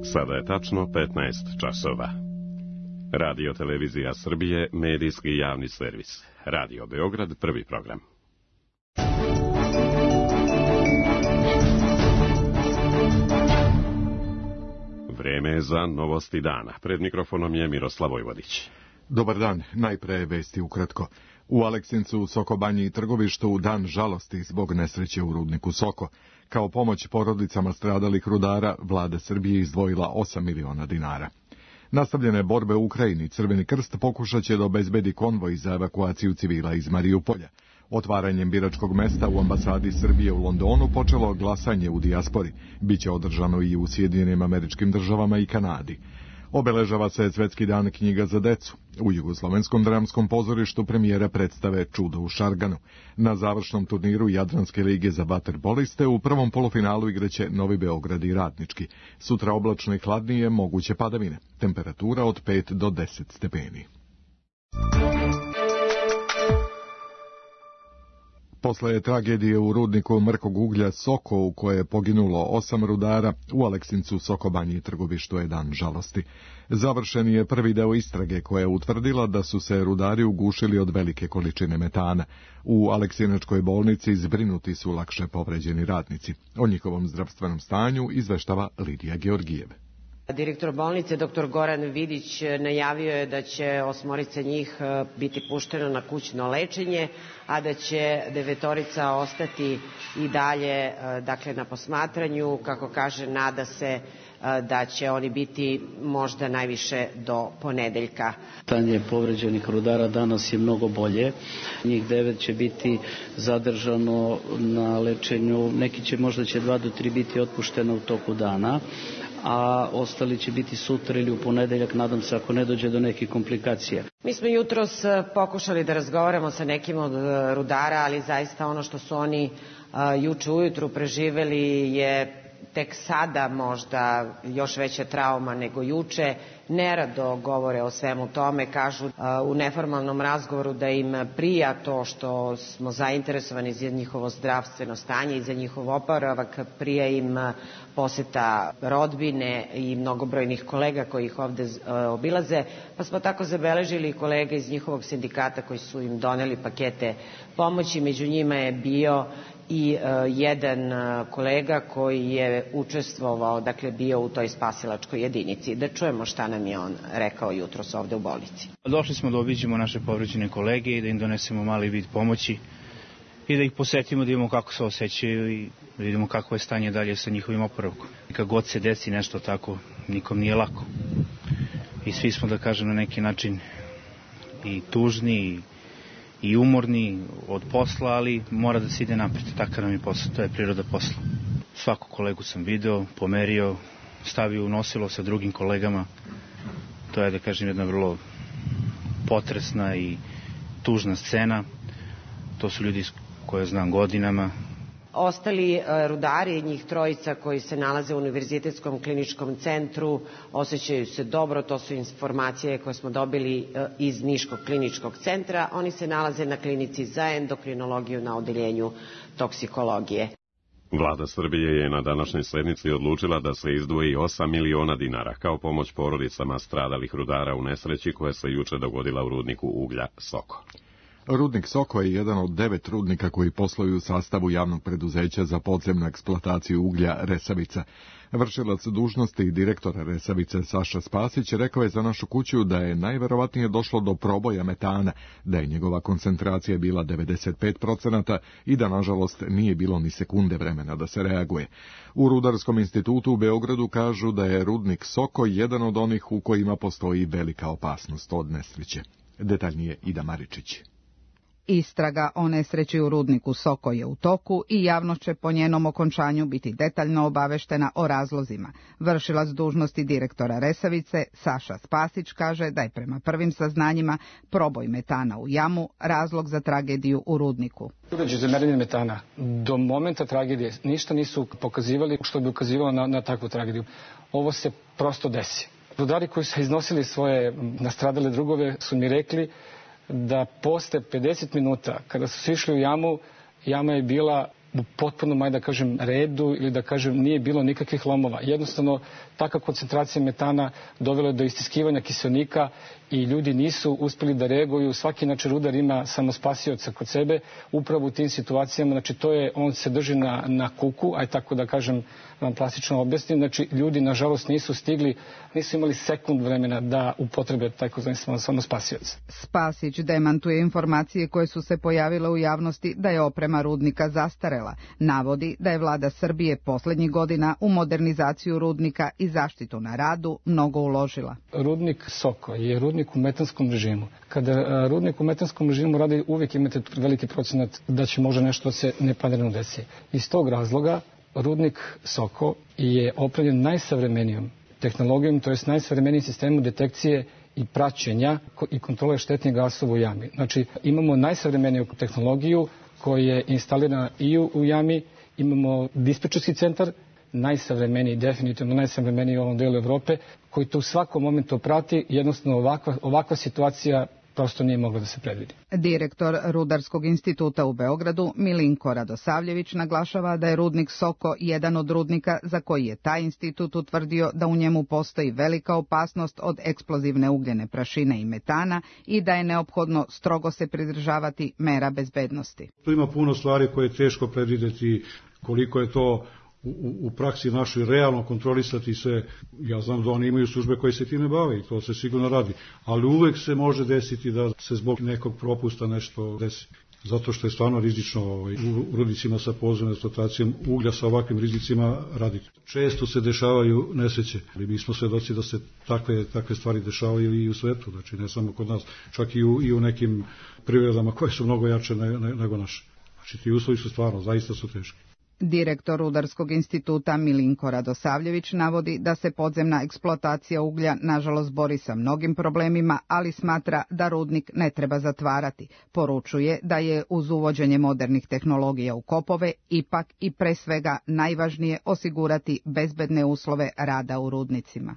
Sada je tačno 15 časova. Radio Televizija Srbije, medijski javni servis. Radio Beograd, prvi program. Vreme je za novosti dana. Pred mikrofonom je Miroslav Vojvodić. Dobar dan, najpre vesti ukratko. U Aleksincu, Sokobanji i Trgovištu dan žalosti zbog nesreće u rudniku Soko. Kao pomoć porodicama stradalih rudara, vlada Srbije izdvojila 8 miliona dinara. Nastavljene borbe u Ukrajini, Crveni krst pokušat će da obezbedi konvoj za evakuaciju civila iz Marijupolja. Otvaranjem biračkog mesta u ambasadi Srbije u Londonu počelo glasanje u dijaspori. Biće održano i u Sjedinjenim Američkim Državama i Kanadi. Obeležava se Svetski dan knjiga za decu. U Jugoslovenskom dramskom pozorištu premijera predstave Čudo u Šarganu. Na završnom turniru Jadranske lige za vaterpoliste u prvom polufinalu igraće Novi Beograd i Radnički. Sutra oblačno i hladnije, moguće padavine. Temperatura od 5 do 10 stepeni. Posle tragedije u rudniku mrkog uglja Soko, u koje je poginulo 8 rudara, u Aleksincu, Sokobanji i Trgovištu je dan žalosti. Završen je prvi deo istrage koja je utvrdila da su se rudari ugušili od velike količine metana. U Aleksinačkoj bolnici zbrinuti su lakše povređeni radnici. O njihovom zdravstvenom stanju izveštava Lidija Georgijev. Direktor bolnice, dr. Goran Vidić, najavio je da će 8 njih biti pušteno na kućno lečenje, a da će 9 ostati i dalje na posmatranju. Kako kaže, nada se da će oni biti možda najviše do ponedeljka. Stanje povređenih rudara danas je mnogo bolje. Njih 9 će biti zadržano na lečenju, neki će možda 2 do 3 biti otpušteno u toku dana, a ostali će biti sutra ili u ponedeljak, nadam se, ako ne dođe do nekih komplikacija. Mi smo jutros pokušali da razgovaramo sa nekim od rudara, ali zaista ono što su oni juče ujutru preživeli je tek sada možda još veća trauma nego juče. Nerado govore o svemu tome, kažu u neformalnom razgovoru da im prija to što smo zainteresovani za njihovo zdravstveno stanje i za njihov oporavak, prija im poseta rodbine i mnogobrojnih kolega koji ih ovde obilaze, pa smo tako zabeležili kolege iz njihovog sindikata koji su im doneli pakete pomoći. Među njima je bio i jedan kolega koji je učestvovao, bio u toj spasilačkoj jedinici. Da čujemo šta nam je on rekao jutros ovde u bolnici. Došli smo da obiđemo naše povređene kolege i da im donesemo mali vid pomoći i da ih posetimo, da vidimo kako se osjećaju i da vidimo kako je stanje dalje sa njihovim oporavkom. Kad god se desi nešto tako, nikom nije lako. I svi smo, da kažem, na neki način i tužni i umorni od posla, ali mora da se ide napred. Takav nam je posao, to je priroda posla. Svaku kolegu sam video, pomerio, stavio u nosilo sa drugim kolegama. To je, da kažem, jedna vrlo potresna i tužna scena. To su ljudi koje znam godinama. Ostali rudari, njih 3 koji se nalaze u Univerzitetskom kliničkom centru, osjećaju se dobro. To su informacije koje smo dobili iz Niškog kliničkog centra. Oni se nalaze na klinici za endokrinologiju na odeljenju toksikologije. Vlada Srbije je na današnjoj sednici odlučila da se izdvoji 8 miliona dinara kao pomoć porodicama stradalih rudara u nesreći koja se juče dogodila u rudniku uglja Soko. Rudnik Soko je jedan od 9 rudnika koji posluju u sastavu javnog preduzeća za podzemnu eksploataciju uglja Resavica. Vršilac dužnosti direktora Resavice Saša Spasić rekao je za Našu kuću da je najverovatnije došlo do proboja metana, da je njegova koncentracija bila 95% i da nažalost nije bilo ni sekunde vremena da se reaguje. U Rudarskom institutu u Beogradu kažu da je rudnik Soko jedan od onih u kojima postoji velika opasnost od nesreće. Detaljnije Ida Maričić. Istraga o nesreći u rudniku Soko je u toku i javnost će po njenom okončanju biti detaljno obaveštena o razlozima. Vršilac dužnosti direktora Resavice, Saša Spasić, kaže da je prema prvim saznanjima proboj metana u jamu razlog za tragediju u rudniku. Uređaji za merenje metana do momenta tragedije ništa nisu pokazivali što bi ukazivalo na takvu tragediju. Ovo se prosto desi. Rudari koji su iznosili svoje nastradale drugove su mi rekli da posle 50 minuta, kada su išli u jamu, jama je bila u potpunom, da kažem, redu ili da kažem nije bilo nikakvih lomova. Jednostavno, takva koncentracija metana dovela je do istiskivanja kiseonika i ljudi nisu uspeli da reaguju. Svaki rudar ima samospasioca kod sebe upravo u tim situacijama. Znači, on se drži na kuku, aj tako da kažem, vam plastično objasnim. Znači, ljudi, nažalost, nisu imali sekund vremena da upotrebe takozvani samospasioc. Spasić demantuje informacije koje su se pojavile u javnosti da je oprema rudnika zastarela. Navodi da je vlada Srbije poslednjih godina u modernizaciju rudnika i zaštitu na radu mnogo uložila. Rudnik Soko je rudnik u metanskom režimu. Kada rudnik u metanskom režimu radi, uvijek imate veliki procenat da će možda nešto se neplanirano desi. Iz tog razloga rudnik Soko je opremljen najsavremenijom tehnologijom, to je najsavremenijim sistemom detekcije i praćenja i kontrole štetnih gasova u jami. Znači, imamo najsavremeniju tehnologiju koja je instalirana i u jami, imamo dispečerski centar, najsavremeniji, definitivno najsavremeniji u ovom delu Evrope, koji to u svakom momentu prati. Jednostavno, ovakva situacija prosto nije mogla da se predvidi. Direktor Rudarskog instituta u Beogradu, Milinko Radosavljević, naglašava da je rudnik Soko jedan od rudnika za koji je taj institut utvrdio da u njemu postoji velika opasnost od eksplozivne ugljene prašine i metana i da je neophodno strogo se pridržavati mera bezbednosti. Tu ima puno stvari koje je teško predvideti, koliko je to u praksi našoj realno kontrolisati se. Ja znam da oni imaju službe koje se time bave i to se sigurno radi, ali uvek se može desiti da se zbog nekog propusta nešto desi. Zato što je stvarno rizično u rudnicima sa podzemnom eksploatacijom uglja sa ovakvim rizicima raditi. Često se dešavaju nesreće, ali mi smo svedoci da se takve stvari dešavaju i u svetu, znači ne samo kod nas, čak i u nekim privredama koje su mnogo jače nego naše. Znači ti uslovi su stvarno, zaista su teški. Direktor Rudarskog instituta Milinko Radosavljević navodi da se podzemna eksploatacija uglja nažalost bori sa mnogim problemima, ali smatra da rudnik ne treba zatvarati. Poručuje da je uz uvođenje modernih tehnologija u kopove ipak i pre svega najvažnije osigurati bezbedne uslove rada u rudnicima.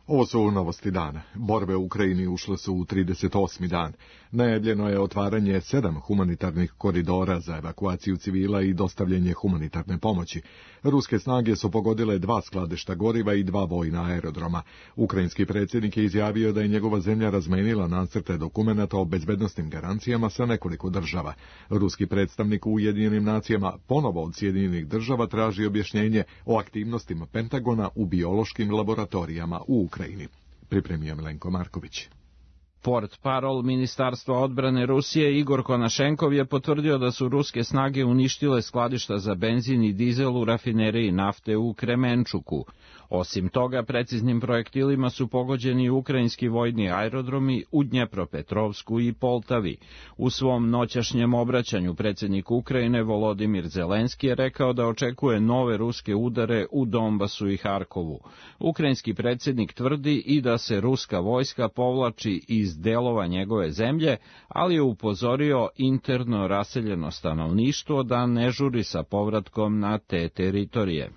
Ovo su novosti dana. Borbe u Ukrajini ušle su u 38. dan. Najavljeno je otvaranje 7 humanitarnih koridora za evakuaciju civila i dostavljanje humanitarne pomoći. Ruske snage su pogodile 2 skladišta goriva i 2 vojna aerodroma. Ukrajinski predsjednik je izjavio da je njegova zemlja razmenila nacrte dokumenata o bezbednosnim garancijama sa nekoliko država. Ruski predstavnik u Ujedinjenim nacijama ponovo od Sjedinjenih država traži objašnjenje o aktivnostima Pentagona u biološkim laboratorijama u Ukrajini. Pripremio Milenko Marković. Portparol Ministarstva odbrane Rusije Igor Konašenkov je potvrdio da su ruske snage uništile skladišta za benzin i dizel u rafineriji nafte u Kremenčuku. Osim toga, preciznim projektilima su pogođeni ukrajinski vojni aerodromi u Dnjepropetrovsku i Poltavi. U svom noćašnjem obraćanju predsjednik Ukrajine Volodimir Zelenski je rekao da očekuje nove ruske udare u Donbasu i Harkovu. Ukrajinski predsjednik tvrdi i da se ruska vojska povlači iz delova njegove zemlje, ali je upozorio interno raseljeno stanovništvo da ne žuri sa povratkom na te teritorije.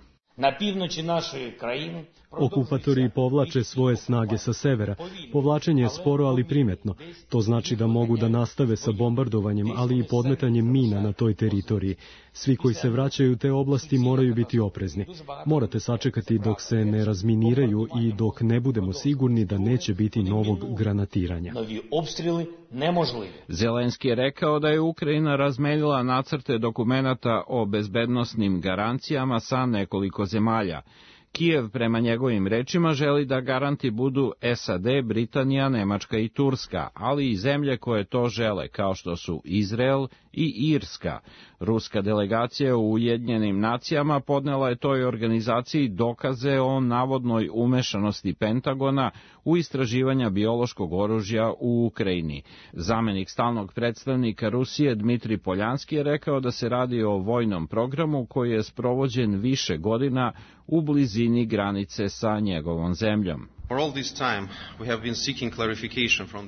Okupatori povlače svoje snage sa severa. Povlačenje je sporo, ali primetno. To znači da mogu da nastave sa bombardovanjem, ali i podmetanjem mina na toj teritoriji. Svi koji se vraćaju u te oblasti moraju biti oprezni. Morate sačekati dok se ne razminiraju i dok ne budemo sigurni da neće biti novog granatiranja. Zelenski je rekao da je Ukrajina razmenila nacrte dokumenata o bezbednosnim garancijama sa nekoliko zemalja. Kijev, prema njegovim rečima, želi da garanti budu SAD, Britanija, Nemačka i Turska, ali i zemlje koje to žele, kao što su Izrael i Irska. Ruska delegacija u Ujedinjenim nacijama podnela je toj organizaciji dokaze o navodnoj umešanosti Pentagona u istraživanja biološkog oružja u Ukrajini. Zamenik stalnog predstavnika Rusije Dmitri Poljanski je rekao da se radi o vojnom programu koji je sprovođen više godina u blizini granice sa njegovom zemljom.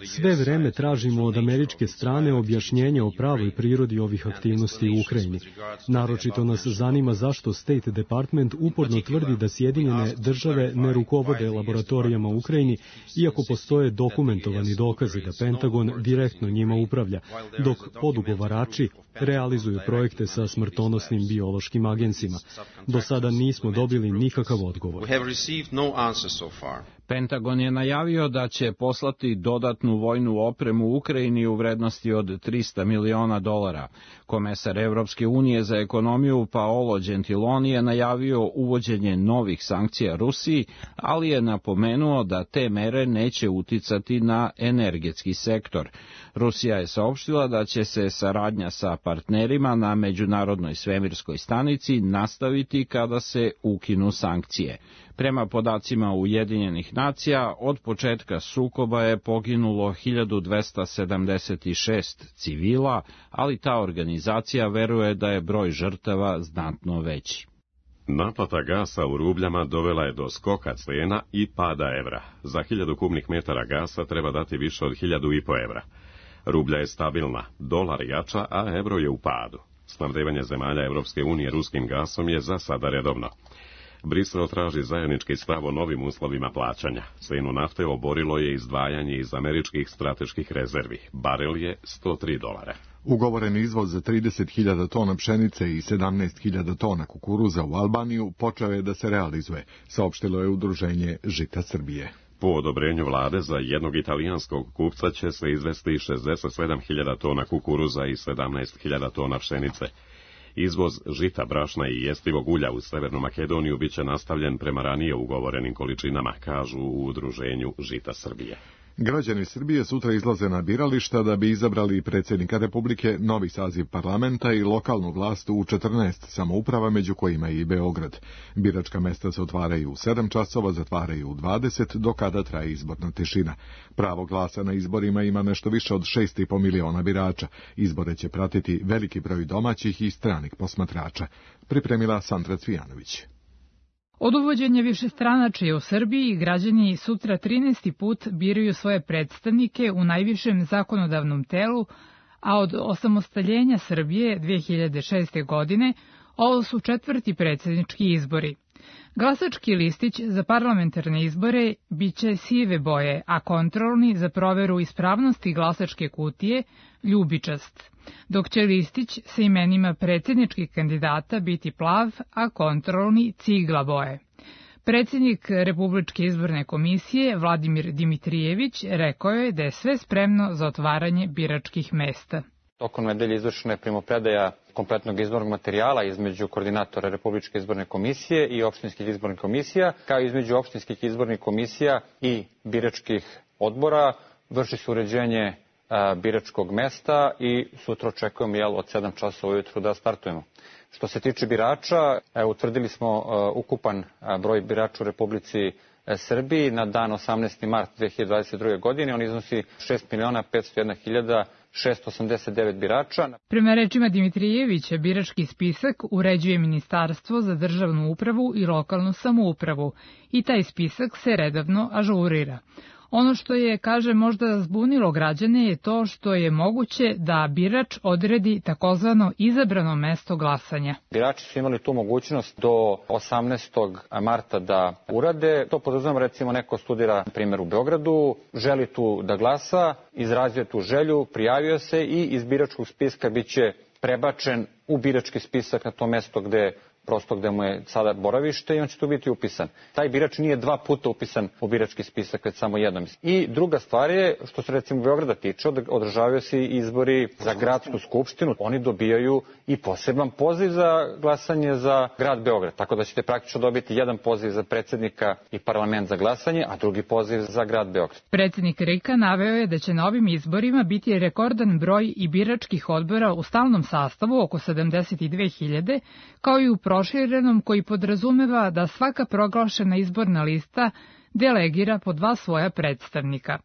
Sve vreme tražimo od američke strane objašnjenje o pravoj prirodi ovih aktivnosti u Ukrajini. Naročito nas zanima zašto State Department uporno tvrdi da Sjedinjene države ne rukovode laboratorijama u Ukrajini, iako postoje dokumentovani dokazi da Pentagon direktno njima upravlja, dok podugovarači realizuju projekte sa smrtonosnim biološkim agensima. Do sada nismo dobili nikakav odgovor. Pentagon je najavio da će poslati dodatnu vojnu opremu u Ukrajini u vrednosti od $300 miliona. Komesar Evropske unije za ekonomiju Paolo Gentiloni je najavio uvođenje novih sankcija Rusiji, ali je napomenuo da te mere neće uticati na energetski sektor. Rusija je saopštila da će se saradnja sa partnerima na Međunarodnoj svemirskoj stanici nastaviti kada se ukinu sankcije. Prema podacima Ujedinjenih nacija, od početka sukoba je poginulo 1276 civila, ali ta organizacija veruje da je broj žrtava znatno veći. Naplata gasa u rubljama dovela je do skoka cena i pada evra. Za 1000 kubnih metara gasa treba dati više od 1500 evra. Rublja je stabilna, dolar jača, a evro je u padu. Snabdevanje zemalja Evropske unije ruskim gasom je za sada redovno. Brisel traži zajednički stav o novim uslovima plaćanja. Cenu nafte oborilo je izdvajanje iz američkih strateških rezervi. Barel je $103. Ugovoren izvoz za 30.000 tona pšenice i 17.000 tona kukuruza u Albaniju počeo je da se realizuje, saopštilo je Udruženje Žita Srbije. Po odobrenju vlade za jednog italijanskog kupca će se izvesti 67.000 tona kukuruza i 17.000 tona pšenice. Izvoz žita, brašna i jestivog ulja u Severnu Makedoniju biće nastavljen prema ranije ugovorenim količinama, kažu u Udruženju Žita Srbije. Građani Srbije sutra izlaze na birališta da bi izabrali predsjednika Republike, novi saziv parlamenta i lokalnu vlast u 14 samouprava, među kojima i Beograd. Biračka mesta se otvaraju u 7 časova, zatvaraju u 20, do kada traje izborna tišina. Pravo glasa na izborima ima nešto više od 6,5 miliona birača. Izbore će pratiti veliki broj domaćih i stranih posmatrača. Pripremila Sandra Cvijanović. Od uvođenja višestranačja u Srbiji građani sutra 13. put biraju svoje predstavnike u najvišem zakonodavnom telu, a od osamostaljenja Srbije 2006. godine ovo su 4. predsjednički izbori. Glasački listić za parlamentarne izbore biće sive boje, a kontrolni za proveru ispravnosti glasačke kutije ljubičast, dok će listić sa imenima predsjedničkih kandidata biti plav, a kontrolni cigla boje. Predsjednik Republičke izborne komisije Vladimir Dimitrijević rekao je da je sve spremno za otvaranje biračkih mesta. Tokom nedelje izvršena je primopredaja kompletnog izbornog materijala između koordinatora Republičke izborne komisije i opštinskih izbornih komisija, kao i između opštinskih izbornih komisija i biračkih odbora. Vrši se uređenje biračkog mesta i sutra očekujemo od 7 časova ujutru da startujemo. Što se tiče birača, utvrdili smo ukupan broj birača u Republici Srbiji na dan 18. mart 2022. godine. On iznosi 6.501.689 birača. Prema rečima Dimitrijevića, birački spisak uređuje Ministarstvo za državnu upravu i lokalnu samoupravu i taj spisak se redovno ažurira. Ono što je, kaže, možda zbunilo građane je to što je moguće da birač odredi takozvano izabrano mesto glasanja. Birači su imali tu mogućnost do 18. marta da urade. To podrazumeva, recimo, neko studira, na primjer, u Beogradu, želi tu da glasa, izrazio tu želju, prijavio se i iz biračkog spiska biće prebačen u birački spisak na to mesto gde mu je sada boravište i on će tu biti upisan. Taj birač nije 2 puta upisan u birački spisak, već samo jednom. I druga stvar je, što se recimo Beograda tiče, održavaju se izbori za gradsku skupštinu. Oni dobijaju i poseban poziv za glasanje za grad Beograd. Tako da ćete praktično dobiti jedan poziv za predsjednika i parlament za glasanje, a drugi poziv za grad Beograd. Predsjednik RIK-a naveo je da će na ovim izborima biti rekordan broj i biračkih odbora u stalnom sastavu, oko 72.000, kao i u proširenom, koji podrazumeva da svaka proglašena izborna lista delegira po 2 svoja predstavnika.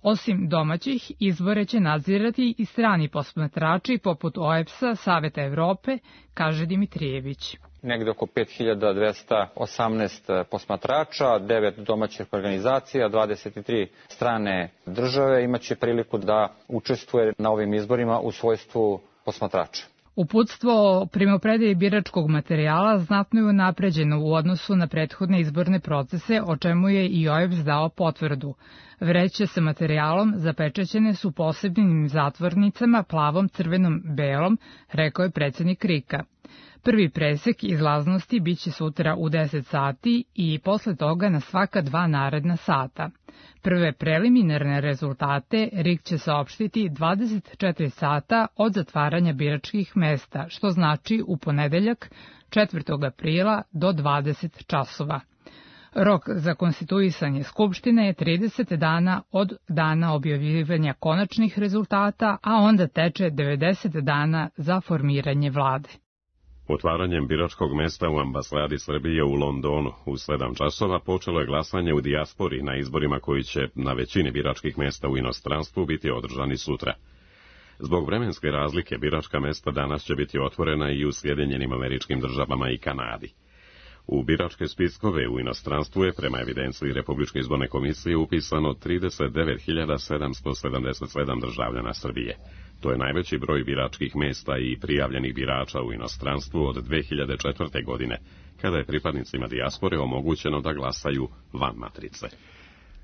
Osim domaćih, izbore će nadzirati i strani posmatrači poput OEBS-a, Saveta Evrope, kaže Dimitrijević. negde oko 5218 posmatrača, 9 domaćih organizacija, 23 strane države imaće priliku da učestvuje na ovim izborima u svojstvu posmatrača. Uputstvo o primopredaji biračkog materijala znatno je unapređeno u odnosu na prethodne izborne procese, o čemu je i OEBS dao potvrdu. Vreće sa materijalom zapečaćene su posebnim zatvornicama plavom, crvenom, belom, rekao je predsjednik RIK-a. Prvi presek izlaznosti biće sutra u 10 sati i posle toga na svaka 2 naredna sata. Prve preliminarne rezultate RIK će saopštiti 24 sata od zatvaranja biračkih mesta, što znači u ponedeljak 4. aprila do 20 časova. Rok za konstituisanje Skupštine je 30 dana od dana objavljivanja konačnih rezultata, a onda teče 90 dana za formiranje vlade. Otvaranjem biračkog mesta u ambasadi Srbije u Londonu u 7 časova počelo je glasanje u dijaspori na izborima koji će na većini biračkih mesta u inostranstvu biti održani sutra. Zbog vremenske razlike biračka mesta danas će biti otvorena i u Sjedinjenim Američkim Državama i Kanadi. U biračke spiskove u inostranstvu je prema evidenciji Republičke izborne komisije upisano 39.777 državljana Srbije. To je najveći broj biračkih mesta i prijavljenih birača u inostranstvu od 2004. godine, kada je pripadnicima dijaspore omogućeno da glasaju van matrice.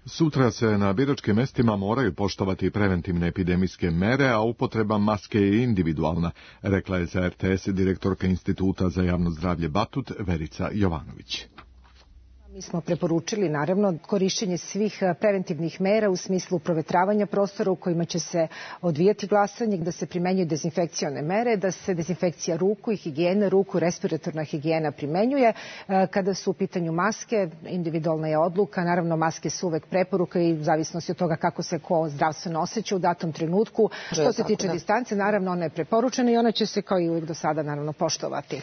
Sutra se na biračkim mestima moraju poštovati preventivne epidemijske mere, a upotreba maske je individualna, rekla je za RTS direktorka Instituta za javno zdravlje Batut Verica Jovanović. Mi smo preporučili, naravno, korišćenje svih preventivnih mera u smislu provetravanja prostora u kojima će se odvijati glasanje, da se primenjuju dezinfekcione mere, da se dezinfekcija ruku i higijena ruku, respiratorna higijena primenjuje. Kada su u pitanju maske, individualna je odluka, naravno maske su uvek preporuka i u zavisnosti od toga kako se ko zdravstveno osjeća u datom trenutku. Što se tiče distance, naravno ona je preporučena i ona će se kao i uvek do sada naravno poštovati.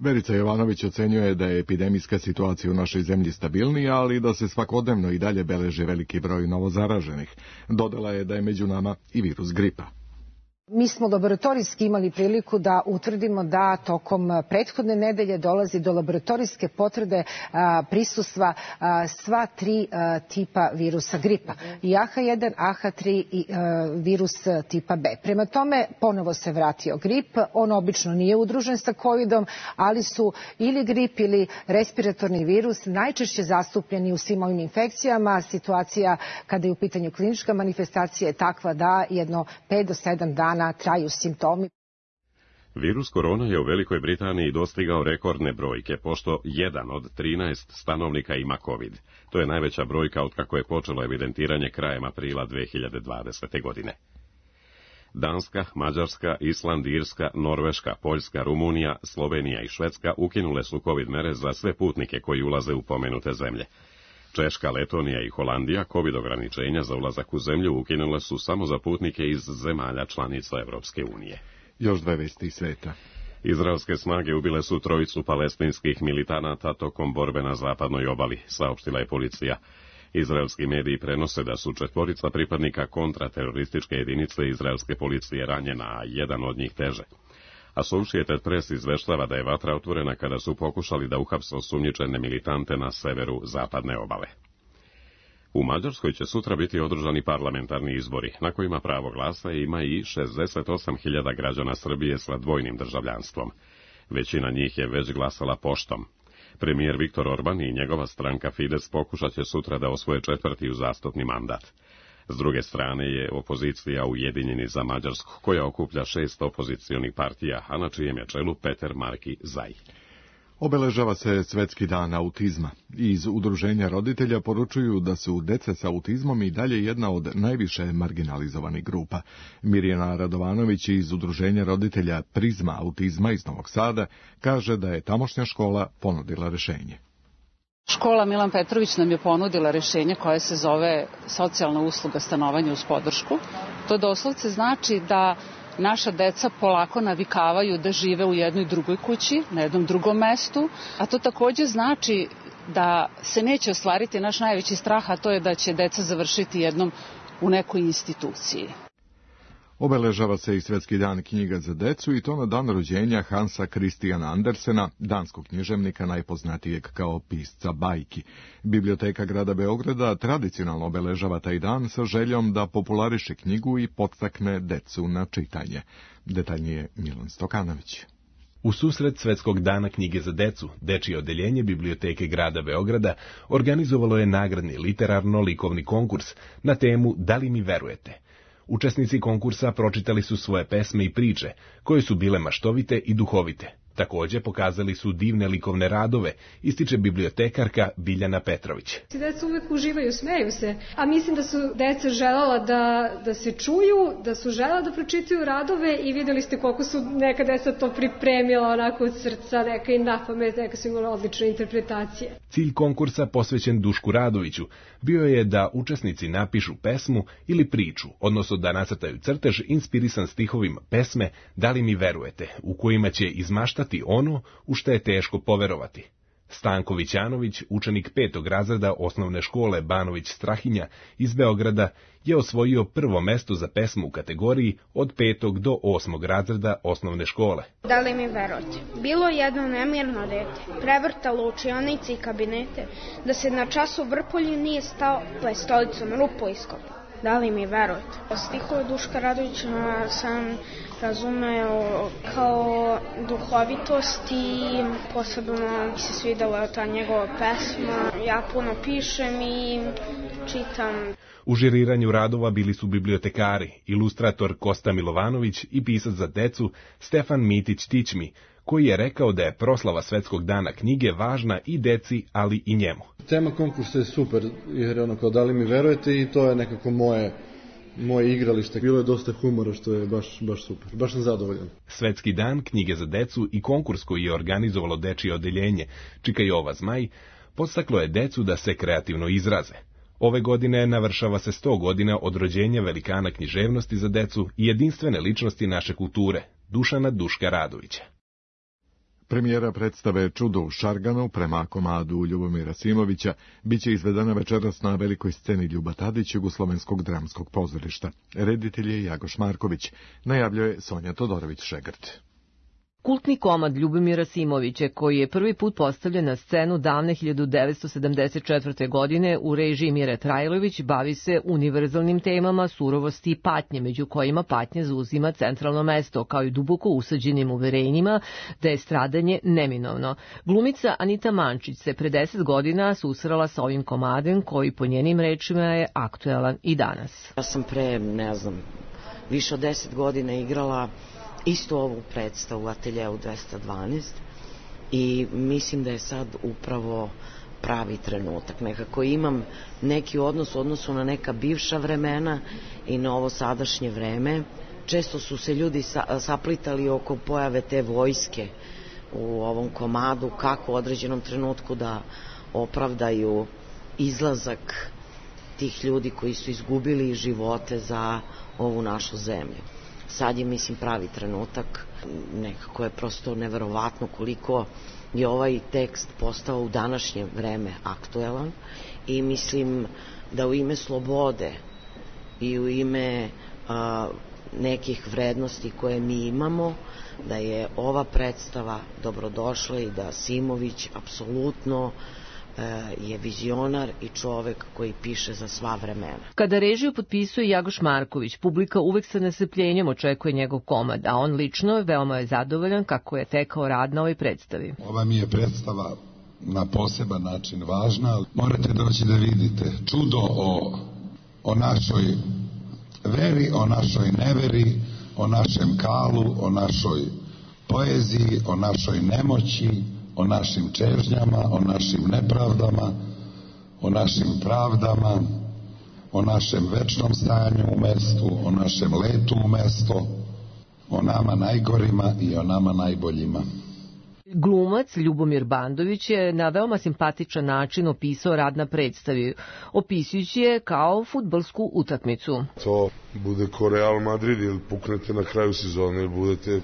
Verica Jovanović ocenjuje da je epidemijska situacija u našoj zemlji stabilnija, ali da se svakodnevno i dalje beleži veliki broj novozaraženih. Dodala je da je među nama i virus gripa. Mi smo laboratorijski imali priliku da utvrdimo da tokom prethodne nedelje dolazi do laboratorijske potvrde prisustva sva 3 tipa virusa gripa. I AH1, AH3 i virus tipa B. Prema tome, ponovo se vratio grip. On obično nije udružen sa covidom, ali su ili grip ili respiratorni virus najčešće zastupljeni u svim ovim infekcijama. Situacija kada je u pitanju klinička manifestacija je takva da jedno 5 do 7 dana traju simptomi. Virus korona je u Velikoj Britaniji dostigao rekordne brojke, pošto 1 od 13 stanovnika ima COVID. To je najveća brojka od kako je počelo evidentiranje krajem aprila 2020. godine. Danska, Mađarska, Island, Irska, Norveška, Poljska, Rumunija, Slovenija i Švedska ukinule su COVID mere za sve putnike koji ulaze u pomenute zemlje. Češka, Letonija i Holandija COVID ograničenja za ulazak u zemlju ukinule su samo za putnike iz zemalja članica Evropske unije. Još 2 vesti iz sveta. Izraelske snage ubile su 3 palestinskih militanata tokom borbe na zapadnoj obali, saopštila je policija. Izraelski mediji prenose da su 4 pripadnika kontraterorističke jedinice izraelske policije ranjena, a jedan od njih teže. Associated Press izveštava da je vatra otvorena kada su pokušali da uhapse osumnjičene militante na severu zapadne obale. U Mađarskoj će sutra biti održani parlamentarni izbori, na kojima pravo glasa ima i 68.000 građana Srbije sa dvojnim državljanstvom. Većina njih je već glasala poštom. Premijer Viktor Orban i njegova stranka Fides pokušat će sutra da osvoje 4. uzastopni mandat. S druge strane je opozicija Ujedinjeni za Mađarsku, koja okuplja 6 opozicionih partija, a na čijem je čelu Peter Marki Zaj. Obeležava se Svetski dan autizma. Iz Udruženja roditelja poručuju da su deca sa autizmom i dalje jedna od najviše marginalizovanih grupa. Mirjana Radovanović iz Udruženja roditelja Prizma autizma iz Novog Sada kaže da je tamošnja škola ponudila rešenje. Škola Milan Petrović nam je ponudila rešenje koje se zove socijalna usluga stanovanja uz podršku. To doslovce znači da naša deca polako navikavaju da žive u jednoj drugoj kući, na jednom drugom mestu, a to takođe znači da se neće ostvariti naš najveći strah, a to je da će deca završiti jednom u nekoj instituciji. Obeležava se i Svetski dan knjiga za decu i to na dan rođenja Hansa Christiana Andersena, danskog književnika najpoznatijeg kao pisca bajki. Biblioteka grada Beograda tradicionalno obeležava taj dan sa željom da populariše knjigu i podstakne decu na čitanje. Detaljnije Milan Stokanović. U susret Svetskog dana knjige za decu, dečije odeljenje Biblioteke grada Beograda organizovalo je nagradni literarno-likovni konkurs na temu Da li mi verujete? Učesnici konkursa pročitali su svoje pesme i priče, koje su bile maštovite i duhovite. Takođe pokazali su divne likovne radove, ističe bibliotekarka Biljana Petrović. Deca uvek uživaju, smeju se, a mislim da su deca želela da se čuju, da su želela da pročitaju radove i videli ste koliko su neka deca to pripremila onako od srca, neka i napamet, neka su imala odlične interpretacije. Cilj konkursa posvećen Dušku Radoviću bio je da učesnici napišu pesmu ili priču, odnosno da nacrtaju crtež inspirisan stihovima pesme Da li mi verujete, u kojima će izmaštati ono u što je teško poverovati. Stanko Vićanović, učenik 5. razreda osnovne škole Banović Strahinja iz Beograda, je osvojio prvo mesto za pesmu u kategoriji od 5. do 8. razreda osnovne škole. Da li mi verujete? Bilo jedno nemirno dete, prevrtalo učionice i kabinete, da se na času vrpolju nije stao, pa je stolicom rupu iskopao. Da li mi verujete? Stihove Duška Radovića sam razumeo kao duhovitost i posebno mi se svidela ta njegova pesma. Ja puno pišem i čitam. U žiriranju radova bili su bibliotekari, ilustrator Kosta Milovanović i pisac za decu Stefan Mitić-Tićmi, koji je rekao da je proslava Svetskog dana knjige važna i deci, ali i njemu. Tema konkursa je super, jer je ono kao da li mi verujete i to je nekako moje igralište. Bilo je dosta humora što je baš super, baš sam zadovoljan. Svetski dan knjige za decu i konkurs koji je organizovalo dečije odeljenje Čika Jova Zmaj podstaklo je decu da se kreativno izraze. Ove godine navršava se 100 godina od rođenja velikana književnosti za decu i jedinstvene ličnosti naše kulture, Dušana Duška Radovića. Premijera predstave Čudo u Šarganu prema komadu Ljubomira Simovića biće izvedena večeras na velikoj sceni Ljuba Tadić Jugoslovenskog dramskog pozorišta. Reditelj je Jagoš Marković, najavljuje Sonja Todorović-Šegrt. Kultni komad Ljubomira Simovića, koji je prvi put postavljen na scenu davne 1974. godine u režiji Mire Trajlović, bavi se univerzalnim temama surovosti i patnje, među kojima patnje zauzima centralno mesto, kao i duboko usađenim uverenjima da je stradanje neminovno. Glumica Anita Mančić se pre 10 godina susrela sa ovim komadem, koji po njenim rečima je aktuelan i danas. Ja sam pre, više od 10 godina igrala isto ovu predstavu u Ateljeu 212 i mislim da je sad upravo pravi trenutak. Nekako imam neki odnos u odnosu na neka bivša vremena i na ovo sadašnje vreme. Često su se ljudi saplitali oko pojave te vojske u ovom komadu, kako u određenom trenutku da opravdaju izlazak tih ljudi koji su izgubili živote za ovu našu zemlju. Sad je, mislim, pravi trenutak. Nekako je prosto neverovatno koliko je ovaj tekst postao u današnje vreme aktuelan i mislim da u ime slobode i u ime nekih vrednosti koje mi imamo, da je ova predstava dobrodošla i da Simović apsolutno je vizionar i čovek koji piše za sva vremena. Kada režiju potpisuje Jagoš Marković, publika uvek sa nestrpljenjem očekuje njegov komad, a on lično veoma je zadovoljan kako je tekao rad na ovoj predstavi. Ova mi je predstava na poseban način važna. Morate doći da vidite čudo o našoj veri, o našoj neveri, o našem kalu, o našoj poeziji, o našoj nemoći, o našim čežnjama, o našim nepravdama, o našim pravdama, o našem večnom stanju u mestu, o našem letu u mesto, o nama najgorima i o nama najboljima. Glumac Ljubomir Bandović je na veoma simpatičan način opisao rad na predstavi, opisujući je kao fudbalsku utakmicu. To bude ko Real Madrid ili puknete na kraju sezone ili budete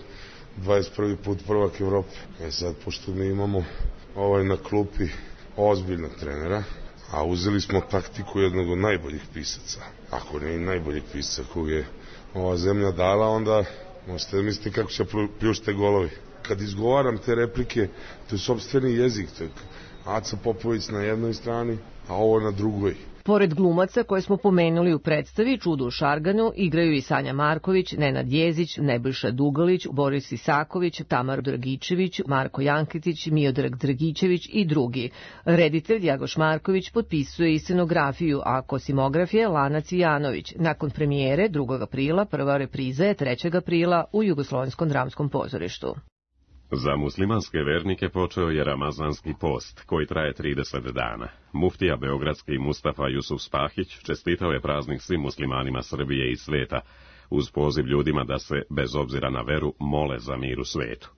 21. put prvak Evrope. Sad, pošto mi imamo na klupi ozbiljnog trenera, a uzeli smo taktiku jednog od najboljih pisaca, ako ne i najboljih pisaca kog je ova zemlja dala, onda možete misliti kako će pljušte golovi. Kad izgovaram te replike, to je sopstveni jezik, to je Aca Popović na jednoj strani, a ovo na drugoj. Pored glumaca koje smo pomenuli u predstavi Čudo u Šarganu, igraju i Sanja Marković, Nenad Jezić, Nebojša Dugalić, Boris Isaković, Tamar Dragičević, Marko Janketić, Miodrag Dragičević i drugi. Reditelj Jagoš Marković potpisuje i scenografiju, a kosimograf je Lana Cvijanović. Nakon premijere 2. aprila, prva repriza je 3. aprila u Jugoslovenskom dramskom pozorištu. Za muslimanske vernike počeo je Ramazanski post, koji traje 30 dana. Muftija beogradski Mustafa Jusuf Spahić čestitao je praznik svim muslimanima Srbije i sveta, uz poziv ljudima da se, bez obzira na veru, mole za mir u svetu.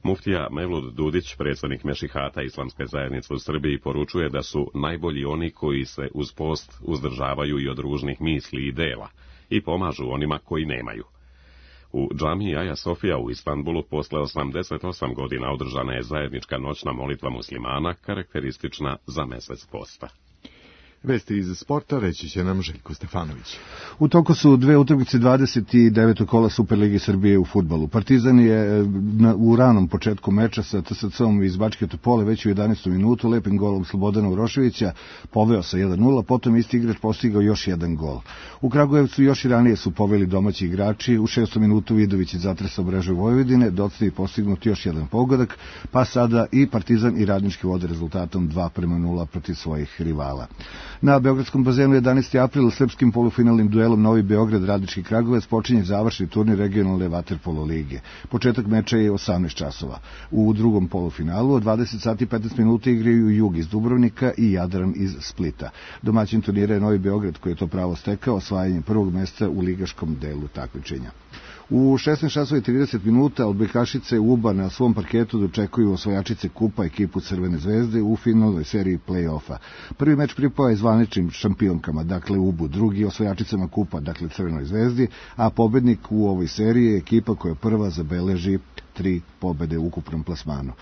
Muftija Mevlud Dudić, predsjednik Mešihata Islamske zajednice u Srbiji, poručuje da su najbolji oni koji se uz post uzdržavaju i od ružnih misli i dela i pomažu onima koji nemaju. U džamiji Aja Sofija u Istanbulu posle 88 godina održana je zajednička noćna molitva muslimana, karakteristična za mesec posta. Vesti iz sporta reći će nam Željko Stefanović. U toku su dve utakmice 29. kola Superlige Srbije u fudbalu. Partizan je u ranom početku meča sa TSC-om iz Bačke Topole već u 11. minutu lepim golom Slobodana Uroševića poveo sa 1:0, potom isti igrač postigao još jedan gol. U Kragujevcu još i ranije su poveli domaći igrači. U 6. minutu Vidović je zatresao mrežu Vojvodine, docnije postignut još jedan pogodak, pa sada i Partizan i Radnički vode rezultatom 2:0 protiv svojih rivala. Na Beogradskom bazenu 11. april srpskim polufinalnim duelom Novi Beograd Radnički Kragujevac počinje završni turnir regionalne vaterpolo lige. Početak meča je 18 časova. U drugom polufinalu od 20 sati 15 minuta igraju Jug iz Dubrovnika i Jadran iz Splita. Domaćin turnira je Novi Beograd koji je to pravo stekao osvajanjem prvog mesta u ligaškom delu takmičenja. U 16:30 minuta odbojkašice UBA na svom parketu dočekuju osvajačice kupa ekipu Crvene zvezde u finalnoj seriji play-offa. Prvi meč pripao je zvaničnim šampionkama, dakle UBU, drugi osvajačicama kupa, dakle Crvenoj zvezdi, a pobednik u ovoj seriji je ekipa koja prva zabeleži 3 pobede u ukupnom plasmanu.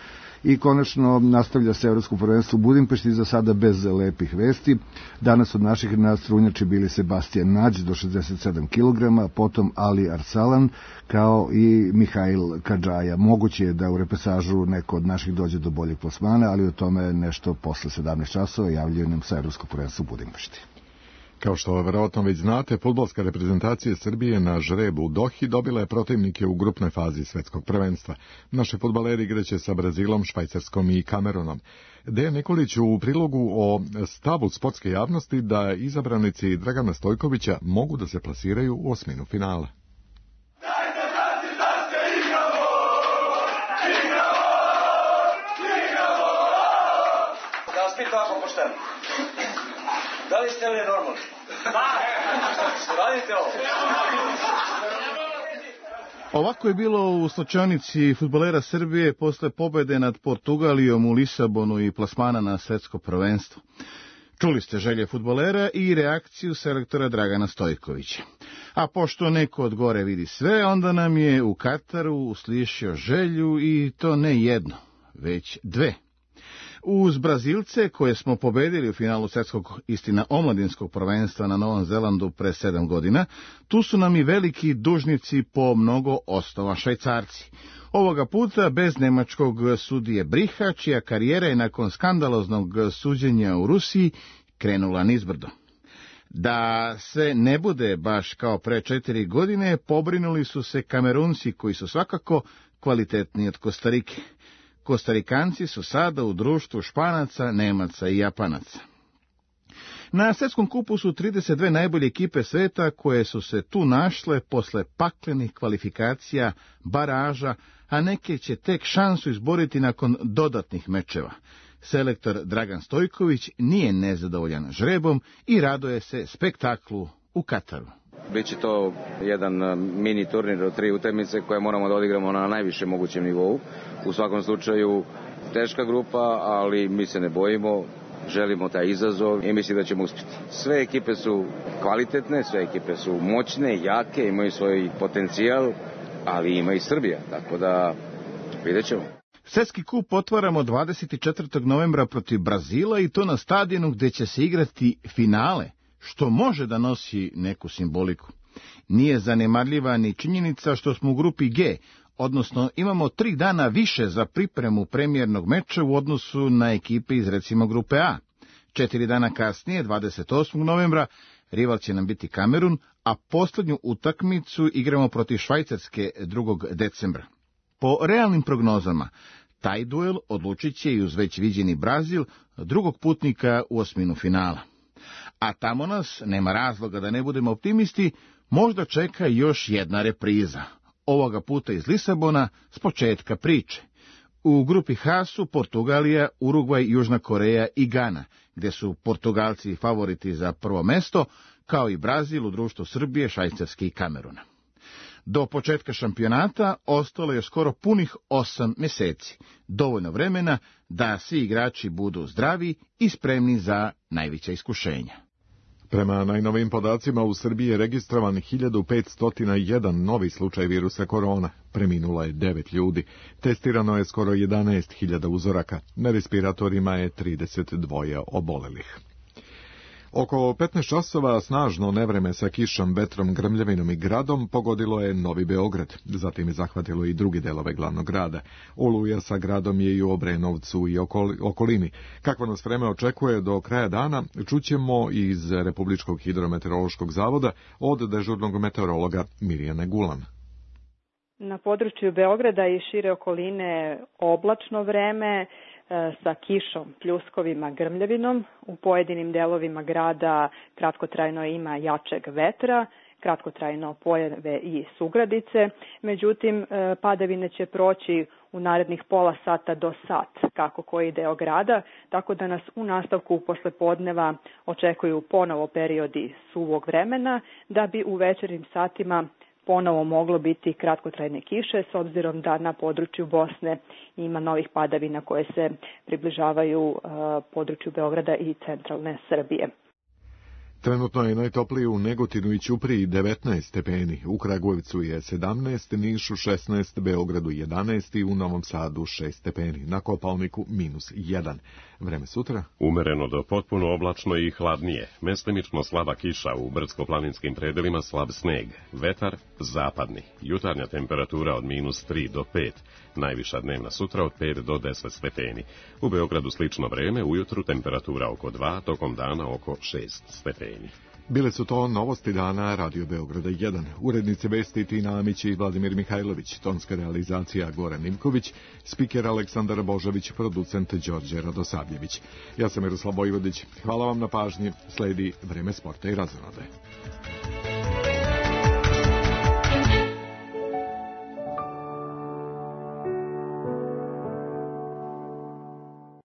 I konačno nastavlja se Evropsko prvenstvo u Budimpešti, za sada bez lepih vesti. Danas od naših nadstrunjači bili Sebastian Nađ do 67 kg, potom Ali Arsalan kao i Mihail Kadžaja. Moguće je da u repesažu neko od naših dođe do boljeg plasmana, ali o tome nešto posle 17 časova javljaju nam sa Evropsko prvenstvo u Budimpešti. Kao što verovatno već znate, fudbalska reprezentacija Srbije na žrebu u Dohi dobila je protivnike u grupnoj fazi svetskog prvenstva. Naši fudbaleri igraće sa Brazilom, Švajcarskom i Kamerunom. Dejan Nikolić u prilogu o stavu sportske javnosti da izabranici Dragana Stojkovića mogu da se plasiraju u osminu finala. Da vas pitam ako pošteno. Da li ste li normalni? Da! Radite ovo? Ovako je bilo u slačionici fudbalera Srbije posle pobede nad Portugalijom u Lisabonu i plasmana na svetsko prvenstvo. Čuli ste želje fudbalera i reakciju selektora Dragana Stojkovića. A pošto neko od gore vidi sve, onda nam je u Kataru uslišio želju i to ne jedno, već dve. Uz Brazilce, koje smo pobedili u finalu svetskog, istina omladinskog prvenstva na Novom Zelandu pre 7 godina, tu su nam i veliki dužnici po mnogo osnova, Švajcarci. Ovoga puta bez nemačkog sudije Briha, čija karijera je nakon skandaloznog suđenja u Rusiji krenula nizbrdo. Da se ne bude baš kao pre 4 godine, pobrinuli su se Kamerunci, koji su svakako kvalitetniji od Kostarike. Kostarikanci su sada u društvu Španaca, Nemaca i Japanaca. Na svetskom kupu su 32 najbolje ekipe sveta koje su se tu našle posle paklenih kvalifikacija, baraža, a neke će tek šansu izboriti nakon dodatnih mečeva. Selektor Dragan Stojković nije nezadovoljan žrebom i raduje se spektaklu u Kataru. Biće to jedan mini turnir od 3 utakmice koje moramo da odigramo na najvišem mogućem nivou. U svakom slučaju teška grupa, ali mi se ne bojimo, želimo taj izazov i mislim da ćemo uspjeti. Sve ekipe su kvalitetne, sve ekipe su moćne, jake, imaju svoj potencijal, ali ima i Srbija, tako da vidjet ćemo. Svetski kup otvaramo 24. novembra protiv Brazila i to na stadionu gde će se igrati finale, što može da nosi neku simboliku. Nije zanemarljiva ni činjenica što smo u grupi G, odnosno imamo 3 dana više za pripremu premijernog meča u odnosu na ekipe iz recimo grupe A. 4 dana kasnije, 28. novembra, rival će nam biti Kamerun, a posljednju utakmicu igramo protiv Švajcarske 2. decembra. Po realnim prognozama, taj duel odlučit će i uz već viđeni Brazil, drugog putnika u osminu finala. A tamo nas, nema razloga da ne budemo optimisti, možda čeka još jedna repriza. Ovoga puta iz Lisabona, s početka priče. U grupi H su Portugalija, Urugvaj, Južna Koreja i Gana, gdje su Portugalci favoriti za prvo mesto, kao i Brazil u društvu Srbije, Švajcarske i Kameruna. Do početka šampionata ostalo je skoro punih 8 mjeseci, dovoljno vremena da svi igrači budu zdravi i spremni za najveća iskušenja. Prema najnovijim podacima u Srbiji je registrovan 1501 novi slučaj virusa korona. Preminulo je 9 ljudi. Testirano je skoro 11.000 uzoraka. Na respiratorima je 32 obolelih. Oko 15 časova snažno nevreme sa kišom, vetrom, grmljavinom i gradom pogodilo je Novi Beograd. Zatim je zahvatilo i drugi delove glavnog grada. Oluja sa gradom je i u Obrenovcu i okolini. Kakvo nas vreme očekuje do kraja dana, čućemo iz Republičkog hidrometeorološkog zavoda od dežurnog meteorologa Mirjane Gulan. Na području Beograda i šire okoline oblačno vreme, sa kišom, pljuskovima, grmljavinom. U pojedinim delovima grada kratkotrajno ima jačeg vetra, kratkotrajno pojave i sugradice. Međutim, padavine će proći u narednih pola sata do sat, kako koji deo grada, tako da nas u nastavku poslepodneva očekuju ponovo periodi suvog vremena, da bi u večernjim satima ponovo moglo biti kratkotrajne kiše, s obzirom da na području Bosne ima novih padavina koje se približavaju području Beograda i centralne Srbije. Trenutno je najtoplije u Negotinu i Ćupriji 19 stepeni, u Kragujevcu je 17, Nišu 16, Beogradu 11 i u Novom Sadu 6 stepeni, na Kopaoniku -1. Vreme sutra? Umereno do potpuno oblačno i hladnije, mestimično slaba kiša, u brdsko-planinskim predelima slab sneg, vetar zapadni, jutarnja temperatura od -3 do 5, najviša dnevna sutra od 5 do 10 stepeni. U Beogradu slično vreme, ujutru temperatura oko 2, tokom dana oko 6 stepeni. Bile su to novosti dana Radio Beograda 1. Urednice vesti Tina Amić i Vladimir Mihajlović, tonska realizacija Goran Nimković, spiker Aleksandar Božović, producent Đorđe Radosavljević. Ja sam Miroslav Vojvodić. Hvala vam na pažnji. Sledi Vreme sporta i razonode.